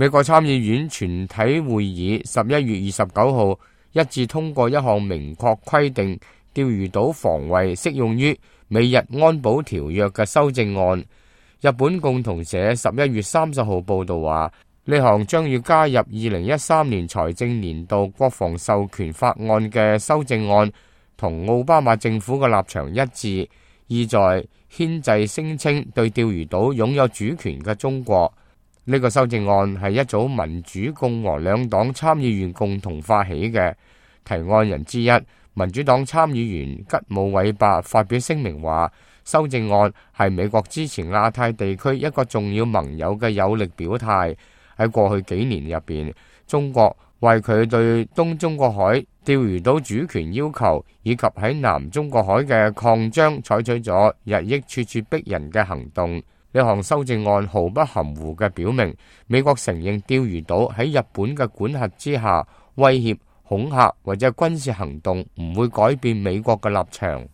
美國參議院全體會議11月29號一致通過一項明確規定釣魚島防衛適用於美日安保條約嘅修正案。日本共同社11月30號報道話，呢項將要加入2013年財政年度國防授權法案嘅修正案，同奧巴馬政府嘅立場一致，意在牽制聲稱對釣魚島擁有主權嘅中國。呢個修正案係一組民主共和兩黨參議員共同發起嘅。提案人之一，民主黨參議員吉姆韋伯發表聲明話，修正案係美國支持亞太地區一個重要盟友嘅有力表態。喺過去幾年入邊，中國為佢對東中國海釣魚島主權要求以及喺南中國海嘅擴張採取咗日益處處逼人嘅行動。呢項修正案毫不含糊嘅表明，美國承認釣魚島喺日本嘅管轄之下，威脅、恐嚇或者軍事行動唔會改變美國嘅立場。